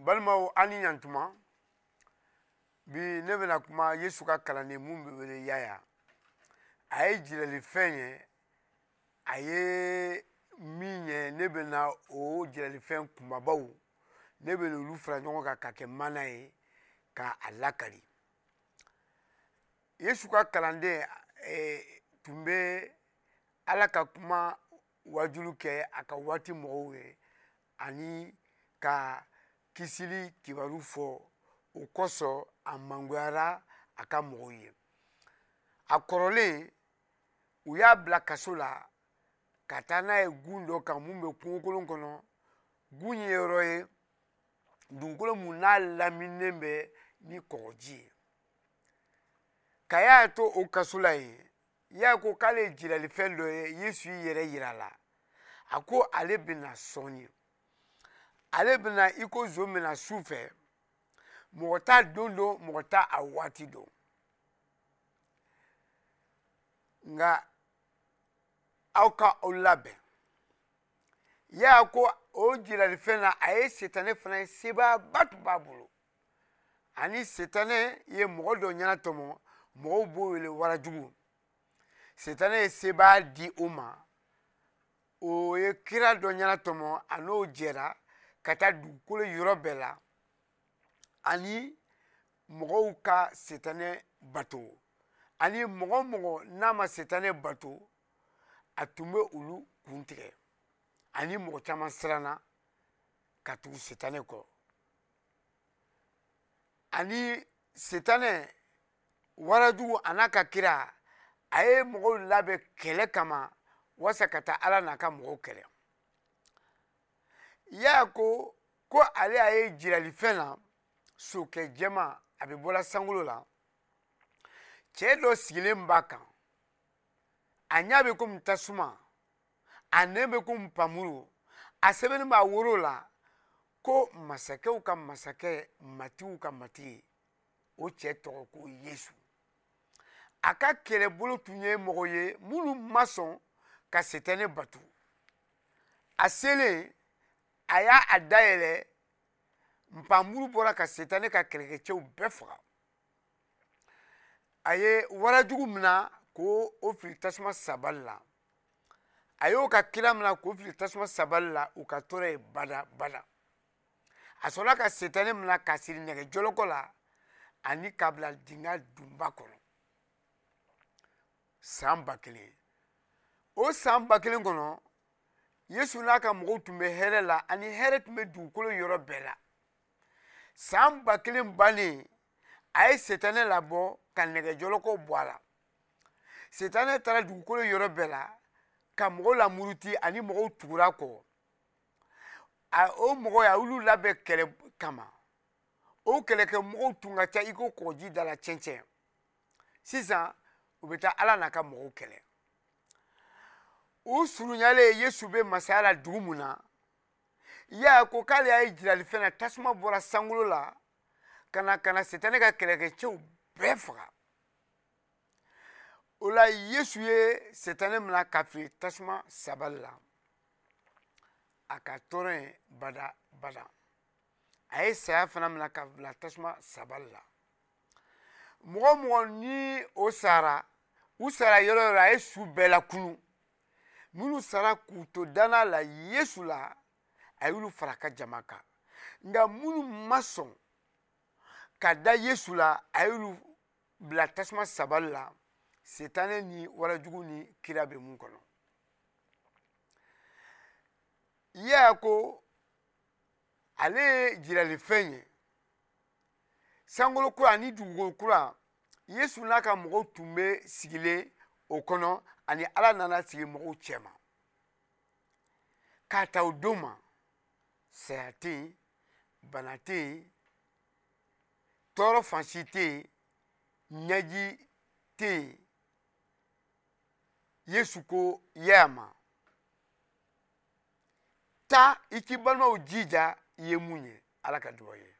Balimaw, an ni ɲantuma. Bi ne bɛna kuma Yesu ka kalanden mun bɛ wele Yaya. A ye jiralifɛn ye, a ye min ye, ne bɛna o jiralifɛn kunbabaw, ne bɛna olu fara ɲɔgɔn kan ka kɛ mana ye ka a lakali. Yesu ka kalanden tun bɛ Ala ka kuma wajulu kɛ a ka waati mɔgɔw ye ani ka kisili kibaru fɔ. O kosɔn a mangoyara a ka mɔgɔw ye. A kɔrɔlen, u y'a bila kaso la ka taa n'a ye gun dɔ kan mun bɛ kungokolon kɔnɔ. Gun ye yɔrɔ ye, dugukolo mun n'a laminilen bɛ ni kɔgɔji ye. Ka y'a to o kaso la yen, y'a ko k'ale ye jiralifɛn dɔ ye. Yesu y'i yɛrɛ yira a la, a ko ale bɛna sɔɔni, ale bɛna i ko zon bɛna su fɛ. Mɔgɔ t'a don dɔn, mɔgɔ t'a a waati dɔn, nka aw ka aw labɛn. Y'a ko o jiralifɛn na, a ye setanɛ fana ye, sebaaba tun b'a bolo. Ani setanɛ ye mɔgɔ dɔ ɲɛnatɔmɔ, mɔgɔw b'o wele warajugu. Setanɛ ye sebaa di o ma, o ye kira dɔ ɲɛnatɔmɔ, a n'o jɛra ka taa dugukolo yɔrɔ bɛɛ la ani mɔgɔw ka setanɛ bato. Ani mɔgɔ o mɔgɔ n'a ma setanɛ bato, a tun bɛ olu kun tigɛ. Ani mɔgɔ caman siranna ka tugu setanɛ kɔ. Ani setanɛ warajugu a n'a ka kira, a ye mɔgɔw labɛn kɛlɛ kama walasa ka taa Ala n'a ka mɔgɔw kɛlɛ. Y'a ko ale y'a ye jiralifɛn na, sokɛ jɛman a bɛ bɔla sankolo la, cɛ dɔ sigilen b'a kan, a ɲɛ bɛ komi tasuma, a nɛn bɛ komi npanmuru, a sɛbɛnni b'a woro la ko masakɛw ka masakɛ, matigiw ka matigi. O cɛ tɔgɔ ko Yesu. A ka kɛlɛbolo tun ye mɔgɔ ye minnu ma sɔn ka setɛnɛ bato. A selen, a y'a a dayɛlɛ, npanmuru bɔra ka setɛnɛ ka kɛlɛkɛcɛw bɛɛ faga. A ye warajugu mina k'o o fili tasuma sabali la. A y'o ka kira mina k'o fili tasuma sabali la, u ka tɔɔrɔ ye bada bada. A sɔrɔla ka setɛnɛ mina k'a siri nɛgɛ jɔlɔkɔ la ani k'a bila dingɛ dunba kɔnɔ san 1000. O san 1000 kɔnɔ, Yesu n'a ka mɔgɔw tun bɛ hɛrɛ la, ani hɛrɛ tun bɛ dugukolo yɔrɔ bɛɛ la. San 1000 bannen, a ye setanɛ labɔ ka nɛgɛ jɔlɔkɔw bɔ a la. Setanɛ taara dugukolo yɔrɔ bɛɛ la ka mɔgɔw lamuruti, ani mɔgɔw tugura kɔ. O mɔgɔw a y'olu labɛn kɛlɛ kama. O kɛlɛkɛ mɔgɔw tun ka ca i ko kɔgɔji da la cɛncɛn. Sisan u bɛ taa Ala n'a ka mɔgɔw kɛlɛ. U surunyalen, Yesu bɛ masaya la dugu mun na, y'a ko k'ale y'a ye jiralifɛn na, tasuma bɔra sankolo la ka na ka na setanɛ ka kɛlɛkɛcɛw bɛɛ faga. O la Yesu ye setanɛ mina ka fili tasuma sabali la, a ka tɔɔrɔ ye bada bada. A ye saya fana mina ka bila tasuma sabali la. Mɔgɔ o mɔgɔ ni o sara, u sara yɔrɔ o yɔrɔ, a ye su bɛɛ lakunu. Minnu sara k'u to danna la Yesu la, a y'olu fara a ka jama kan. Nka minnu ma sɔn ka da Yesu la, a y'olu bila tasuma sabali la, setanɛ ni warajugu ni kira bɛ mun kɔnɔ. Yaya ko ale ye jiralifɛn ye, sankolo kura ani dugukolo kura. Yesu n'a ka mɔgɔw tun bɛ sigilen o kɔnɔ, ani Ala nana sigi mɔgɔw cɛma. K'a ta o don ma, saya tɛ yen, bana tɛ yen, tɔɔrɔ fan si tɛ yen, ɲɛji tɛ yen. Yesu ko Yaya ma, taa i k'i balimaw jija i ye mun ye. Ala ka dugawu ye.